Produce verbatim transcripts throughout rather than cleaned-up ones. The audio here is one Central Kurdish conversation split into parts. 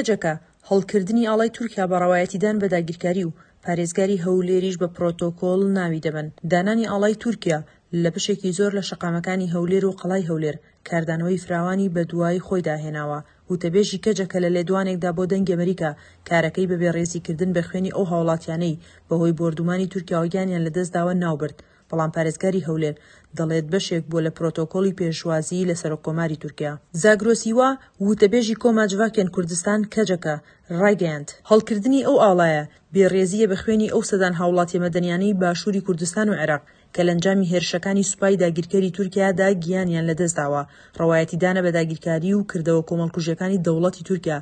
کەجەکە هەڵکردنی ئاڵای تورکیا بە ڕەوایەتیدان بە داگیرکاری و پارێزگاری هەولێریش بە پرۆتۆکۆل ناوی دەبەن. دانانی ئاڵای تورکیا لە بەشێکی زۆر لە شەقامەکانی هەولێر و قەڵای هەولێر کاردانەوەی فراوانی بەدوای خۆیدا هێناوە. وتەبێژی کەجەکە لە لێدوانێکدا بۆ دەنگی ئەمریکا کارەکەی بە بێڕێزیکردن بە خوێنی ئەو هاوڵاتیانەی بەهۆی بۆردومانی تورکیاوە گیانیان لەدەستداوە ناوبرد. بەڵام پارێزگاری هەولێر دەڵێت بەشێک بووە لە پرۆتۆکۆلی پێشوازی لە سەرۆککۆماری تورکیا. زاگرۆس هیوا، وتەبێژی کۆما جڤاکێن کوردستان کەجەکە، ڕایگەیاند، هەڵکردنی ئەو ئاڵایە بێڕێزییە بە خوێنی ئەو سەدان هاوڵاتیە مەدەنیانەی باشووری کوردستان و عێراق کە لە ئەنجامی هێرشەکانی سوپای داگیرکەری تورکیادا گیانیان لەدەستداوە، ڕەوایەتیدانە بە داگیرکاری و کردەوە کۆمەڵکوژیەکانی دەوڵەتی تورکیا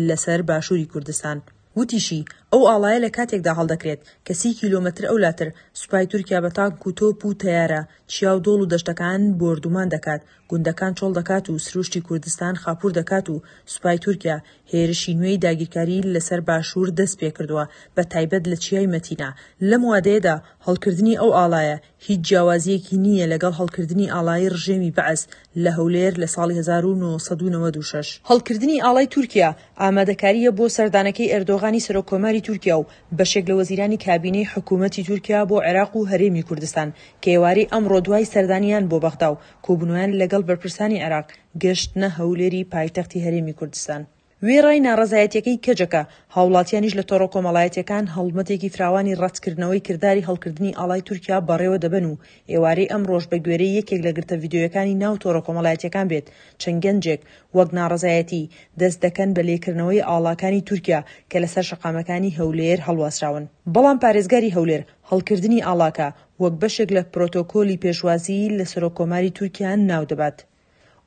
لەسەر باشووری کوردستان. وتیشی، ئەو ئاڵایە لە کاتێکدا هەڵدەکرێت کە سی کیلۆمەتر ئەولاتر سوپای تورکیا بە تانک و تۆپ و تەیارە چیا و دۆڵ و دەشتەکان بۆردومان دەکات، گوندەکان چۆڵ دەکات و سروشتی کوردستان خاپوور دەکات و سوپای تورکیا هێرشی نوێی داگیرکاری لەسەر باشوور دەستپێکردووە بە تایبەت لە چیای مەتینا. لەم وادەیەدا هەڵکردنی ئەو ئاڵایە هیچ جیاوازییەکی نییە لەگەڵ هەڵکردنی ئاڵای ڕژێمی بەعس لە هەولێر لە ساڵی هەزار و نۆ سەد و نەوەد و شەش. هەڵکردنی ئاڵای تورکیا ئامادەکارییە بۆ سەردانەکەی ئەردۆغانی سەرۆککۆماری تورکیا و بەشێک لە وەزیرانی کابینەی حکوومەتی تورکیا بۆ عێراق و هەرێمی کوردستان کە ئێوارەی ئەمڕۆ دوای سەردانیان بۆ بەغدا و کۆبوونەوەیان لەگەڵ بەرپرسانی عێراق گەشتنە هەولێری پایتەختی هەرێمی کوردستان. وێڕای ناڕەزایەتیەکەی کەجەکە، هاوڵاتیانیش لە تۆڕە کۆمەڵایەتیەکان هەڵمەتێکی فراوانی ڕەتکردنەوەی کرداری هەڵکردنی ئاڵای تورکیا بەڕێوە دەبەن و ئێوارەی ئەمڕۆش بە گوێرەی یەکێک لە گرتە ڤیدیۆیەکانی ناو تۆڕە کۆمەڵایەتیەکان بێت چەند گەنجێک وەک ناڕەزایەتی دەست دەکەن بە لێکردنەوەی ئاڵاکانی تورکیا کە لەسەر شەقامەکانی هەولێر هەڵواسراون. بەڵام پارێزگاری هەولێر هەڵکردنی ئاڵاکە وەک بەشێک لە پرۆتۆکۆلی پێشوازی لە سەرۆککۆماری تورکیا ناودەبات.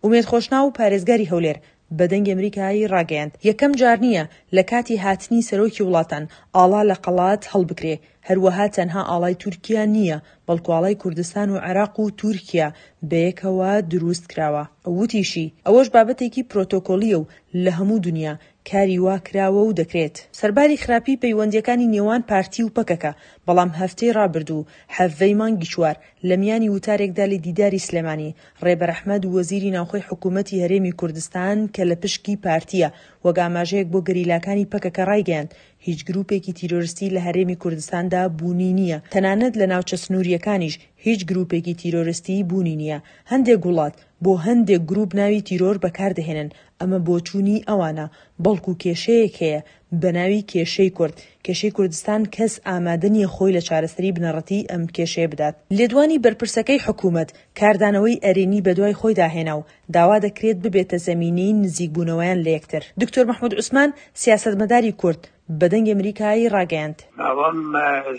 ئومێد خۆشناو، پارێزگاری هەولێر، بە دەنگی ئەمریکای ڕاگەیاند، یەکەم جار نییە لە کاتی هاتنی سەرۆکی وڵاتان ئاڵا لە قەڵات هەڵبکرێ، هەروەها تەنها ئاڵای تورکیا نییە، بەڵکو ئاڵای کوردستان و عێراق و تورکیا بەیەکەوە دروست کراوە. وتیشی، ئەوەش بابەتێکی پرۆتۆکۆلییە و لە هەموو دونیا کاری وا کراوە و دەکرێت. سەرباری خراپی پەیوەندییەکانی نێوان پارتی و پەکەکە، بەڵام هەفتەی ڕابردوو حەڤدە ی مانگی چوار لە میانی وتارێکدا لە دیداری سلێمانی، ڕێبەر ئەحمەد وەزیری ناوخۆی حکوومەتی هەرێمی کوردستان کە لە پشکی پارتییە، وەک ئاماژەیەک بۆ گەریلاکانی پەکەکە ڕایگەیاند، هیچ گرووپێکی تیرۆرستی لە هەرێمی کوردستاندا بوونی نییە، تەنانەت لە ناوچە سنوورییەکانیش هیچ گرووپێکی تیرۆرستی بوونی نییە. هەندێک وڵات بۆ هەندێک گرووپ ناوی تیرۆر بەکاردەهێنن، ئەمە بۆچوونی ئەوانە، بەڵکو کێشەیەک هەیە بەناوی کێشەی کورد، کێشەی کوردستان کەس ئامادە نییە خۆی لە چارەسەری بنەڕەتیی ئەم کێشەیە بدات. لێدوانی بەرپرسەکەی حکوومەت کاردانەوەی ئەرێنی بەدوای خۆیدا هێنا و داوا دەکرێت ببێتە زەمینەی نزیکبوونەوەیان لە یەکتر. دکتۆر مەحمود عوسمان، سیاسەتمەداری کورد، بە دەنگی ئەمریکای ڕاگەیاند. ئەوەم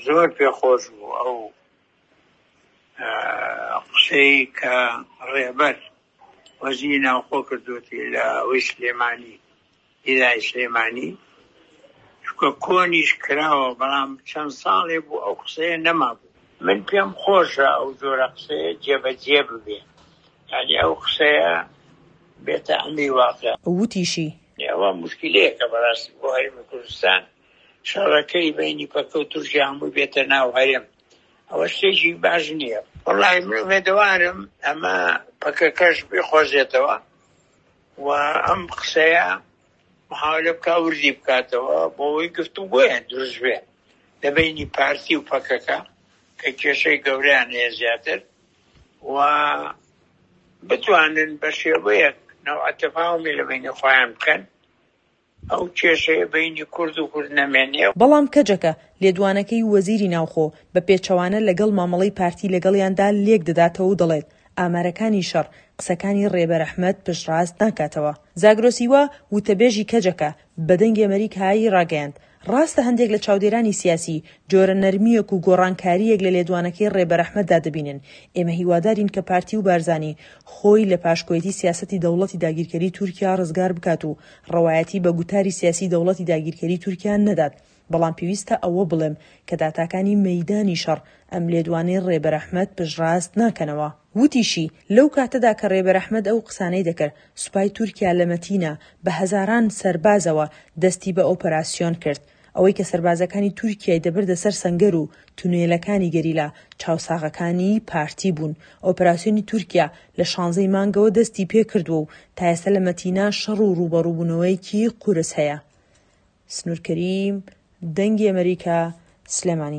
زۆر پێخۆش بوو ئەو قسەی کە ڕێبەر وەزیری ناوخۆ کردووەتی لە ئەوەی سلێمانی، دیداری سلێمانی، چونکە کۆنیش کراوە، بەڵام چەند ساڵێ بوو ئەو قسەیە نەمابوو. من پێم خۆشە ئەو جۆرە قسەیە جێبەجێ ببێ، یعنی ئەو قسەیە بێتە ئەمری واقع. وتیشی. ئەوە موشکیلەیەکە بەڕاستی بۆ هەرێمی کوردستان، شەڕەکەی بەینی پەکە و تورکیا هەمووی بێتە ناو هەرێم، ئەوە شتێکی باش نییە. وەڵاهی من ئومێدەوارم ئەمە پەکەکەش بیقۆزێتەوە و ئەم قسەیە محاولە بکا وردی بکاتەوە بۆ ئەوەی گفتوگۆیان دروست بێ لە بەینی پارتی و پەکەکە کە کێشەی گەورەیان هەیە زیاتر و بتوانن بە شێوەیەک نەوعە تەفاهمی لە بەینی خۆیان بکەن ئەو کێشەیە بەینی کورد و کورد نەمێنێ. بەڵام کەجەکە لێدوانەکەی وەزیری ناوخۆ بە پێچەوانە لەگەڵ مامەڵەی پارتی لەگەڵیاندا لێکدەداتەوە و دەڵێت، ئامارەکانی شەڕ قسەکانی ڕێبەر ئەحمەد پشتڕاست ناکاتەوە. زاگرۆس هیوا، وتەبێژی کەجەکە، بە دەنگی ئەمەریکای ڕاگەیاند، ڕاستە هەندێک لە چاودێرانی سیاسی جۆرە نەرمییەک و گۆڕانکارییەک لە لێدوانەکەی ڕێبەر ئەحمەددا دەبینن، ئێمە هیوادارین کە پارتی و بارزانی خۆی لە پاشکۆیەتی سیاسەتی دەوڵەتی داگیرکەری تورکیا ڕزگار بکات و ڕەوایەتی بە گوتاری سیاسی دەوڵەتی داگیرکەری تورکیا نەدات، بەڵام پێویستە ئەوە بڵێم کە داتاکانی مەیدانی شەڕ ئەم لێدوانەی ڕێبەر ئەحمەد پشتڕاست ناکەنەوە. وتیشی، لەو کاتەدا کە ڕێبەر ئەحمەد ئەو قسانەی دەکرد، سوپای تورکیا لە مەتینا بە هەزاران سەربازەوە دەستی بە ئۆپەراسیۆن کرد. ئەوەی کە سەربازەکانی تورکیای دەبردە سەر سەنگەر و تونێلەکانی گەریلا، چاوساغەکانی پارتی بوون. ئۆپەراسیۆنی تورکیا لە شانزەی مانگەوە دەستی پێکردووە و تا ئێستا لە مەتینا شەڕ و ڕووبەڕووبوونەوەیەکی قورس هەیە. سنوور کەریم، دەنگی ئەمەریکا، سلێمانی.